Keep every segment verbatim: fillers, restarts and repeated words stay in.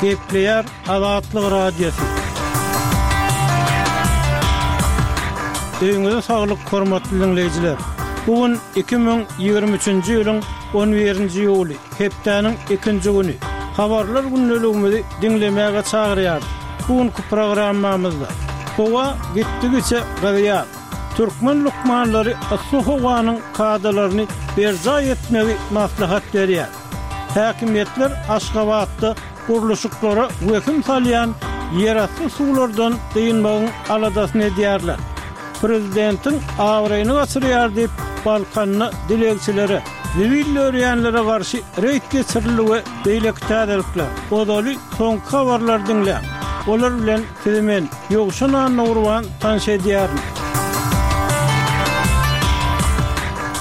Gepleýär Azatlyk Radiosy. Öýüňize saglyk, hormatly diňleýjiler! Bu gün iki müň ýigrimi üçünji ýylyň on birinji iýuly, hepdäniň ikinji güni. Habarlar gündeligimizi diňlemäge çagyrýarys. Bu günki programmamyzda howa gitdigiçe gyzýar. Türkmen lukmanlary yssy howanyň kadalaryny berjaý etmegi maslahat berýär. Häkimiýetler Aşgabatda gurluşyklara wehim salýan ýerasty suwlardan dynmagyň aladasyny edýärler. Prezidentiň abraýyny gaçyrýar diýip, Balkanda dilegçilere, zibil dörýänlere garşy reýd geçirildi we beýleki täzelikler. Ozaly soňky habarlary diňläň. Olar bilen sizi men, Ýowşan Annagurban tanyş edýärin.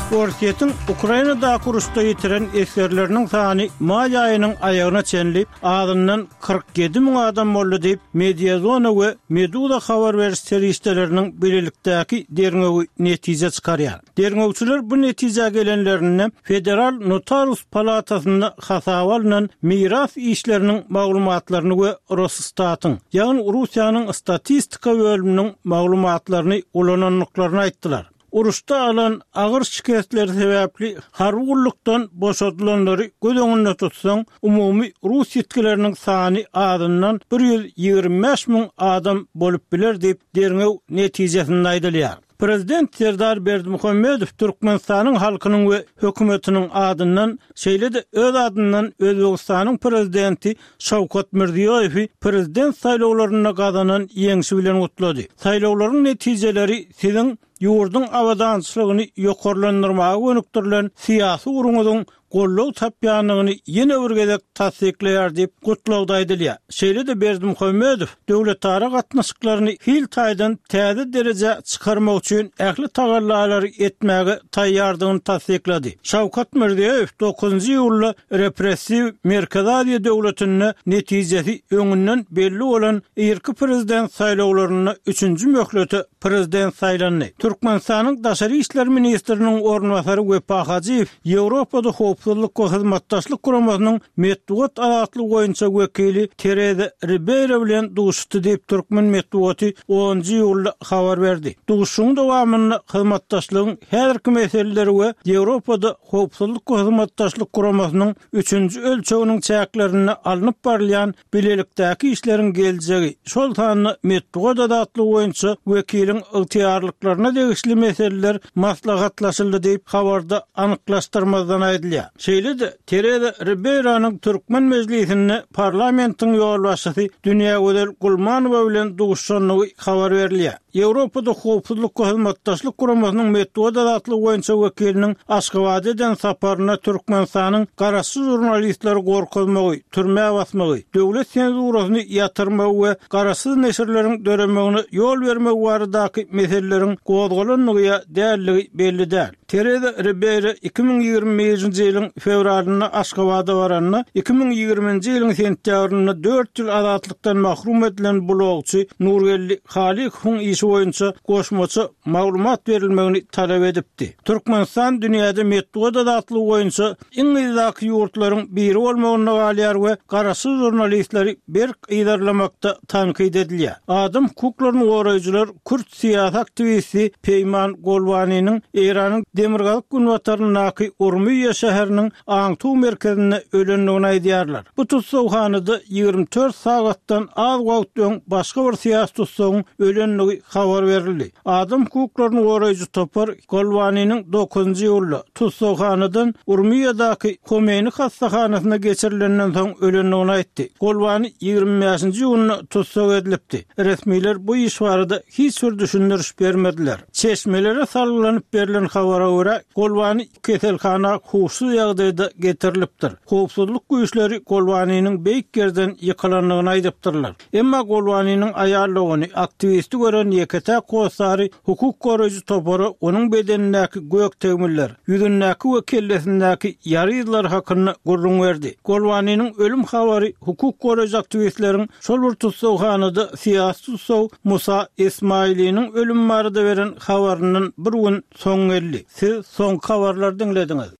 Orsýetiň Ukrainadaky uruşda ýitiren esgerleriniň sany maý aýynyň aýagyna çenli azyndan kyrk ýedi müň adam boldy diýip, Mediazona we Meduza habar beriş serişdeleriniň bilelikdäki derňewi netije çykarýar. Derňewçiler bu netijä gelenlerinde Federal notarius palatasynda hasaba alnan miras işleriniň maglumatlaryny we Rosstatyň, ýagny Russiýanyň statistika bölüminiň maglumatlaryny ulanandyklaryny aýtdylar. Uruşda alan agyr şikesleri sebäpli harby gullukdan boşadylanlary göz öňünde tutsaň, umumy rus ýitgileriniň sany azyndan bir ýüz ýigrimi bäş müň adam bolup biler diýip, derňew netijesinde aýdylýar. Prezident Serdar Berdimuhamedow Türkmenistanyň halkynyň we hökümetiniň adyndan, şeýle-de öz adyndan Özbegistanyň Prezidenti Şawkat Mirziýoýewi Prezident saýlawlarynda gazanan ýeňşi bilen gutlady. Saýlawlaryň netijeleri siziň ýurduň abadançylygyny ýokarlandyrmaga gönükdirilen syýasy ugruňyzyň goldaw tapýandygyny ýene bir gezek tassyklaýar diýip, gutlagda aýdylýar. Şeýle-de Berdimuhamedow döwletara gatnaşyklaryny hil taýdan täze derejä çykarmak üçin ähli tagallalary etmäge taýýardygyny tassyklady. Şawkat Mirziýoýew dokuzynjy iýulda repressiw Merkezi Aziýa döwletinde netijesi öňünden belli bolan irki prezident saýlawlarynda üçünji möhlete prezident saýlandy. Türkmenistanyň daşary işler ministriniň orunbasary Wepa Hajyýew Ýewropada Howpsuzlyk we Hyzmatdaşlyk Guramasynyň metbugat azatlygy boýunça wekili Tereza Ribeýro bilen duşuşdy diýip, türkmen metbugaty onunjy iýulda habar berdi. Duşuşygyň dowamynda hyzmatdaşlygyň häzirki meseleleri we Ýewropada Howpsuzlyk we Hyzmatdaşlyk Guramasynyň üçünji ölçeginiň çäklerinde alnyp barylýan bilelikdäki işleriň geljegi, şol sanda metbugat azatlygy boýunça wekiliň ygtyýarlyklaryna degişli meseleler maslahatlaşyldy diýip, habarda anyklaşdyrmazdan aýdylýar. Şeýle-de, Tereza Ribeýronyň türkmen mejlisinde parlamentiň ýolbaşçysy Dünýägözel Gulmanowa bilen duşuşandygy habar berilýär. Ýewropada Howpsuzlyk we Hyzmatdaşlyk Guramasynyň metbugat azatlygy boýunça wekiliniň Aşgabada eden saparynda Türkmenistanyň garaşsyz žurnalistleri gorkuzmagy, türmä basmagy, döwlet senzurasyny ýatyrmagy we garaşsyz neşirleriň döremegine ýol bermegi baradaky meseleleriň gozgalandygy ýa däldigi belli däl. Tereza Ribeýro iki müň ýigrimi birinji ýylyň fewralynda Aşgabada baranda, iki müň ýigriminji ýylyň sentýabrynda dört ýyl azatlykdan mahrum edilen blogçy Nurgeldi Halykowyň işi boýunça goşmaça maglumat berilmegini talap edipdi. Türkmenistan dünýäde metbugat azatlygy boýunça iň yzdaky ýurtlaryň biri bolmagynda galýar we garaşsyz žurnalistleri berk yzarlamakda tankyt edilýär. Adam hukuklaryny goraýjylar kürt syýasy aktiwisti Peýman Golwanynyň Eýranyň demirgazyk-günbataryndaky Urmiýa şäheriniň aňtuw merkezinde ölendigini aýdýarlar. Bu tussaghanada ýigrimi dört sagatdan az wagt öň başga bir syýasy tussagyň ölendigi habar berildi. Adam hukuklaryny goraýjy topar Golwanynyň dokuzynjy iýulda tussaghanadan Urmiýadaky Homeýni hassahanasyna geçirilenden soň ölendigini aýtdy. Golwany ýigrimi bäşinji iýunda tussag edilipdi. Resmiler bu iş barada hiç bir düşündiriş bermediler. Çeşmelere salgylanyp berlen habara görä, Golwany keselhana huşsuz ýagdaýda getirilipdir. Howpsuzlyk güýçleri Golwanynyň beýik ýerden ýykylandygyny aýdypdyrlar. Emma Golwanynyň aýal dogany, aktiwisti gören ýeke-täk hossary hukuk goraýjy topara onuň bedenindäki gök tegmiller, ýüzündäki we kellesindäki ýara yzlary hakynda gürrüň berdi. Golwanynyň ölüm habary hukuk goraýjy aktiwistleriň şol bir tussaghanada syýasy tussag Musa Esmailiniň ölümi barada beren habaryndan bir gün soň geldi. Siz soňky habarlary diňlediňiz.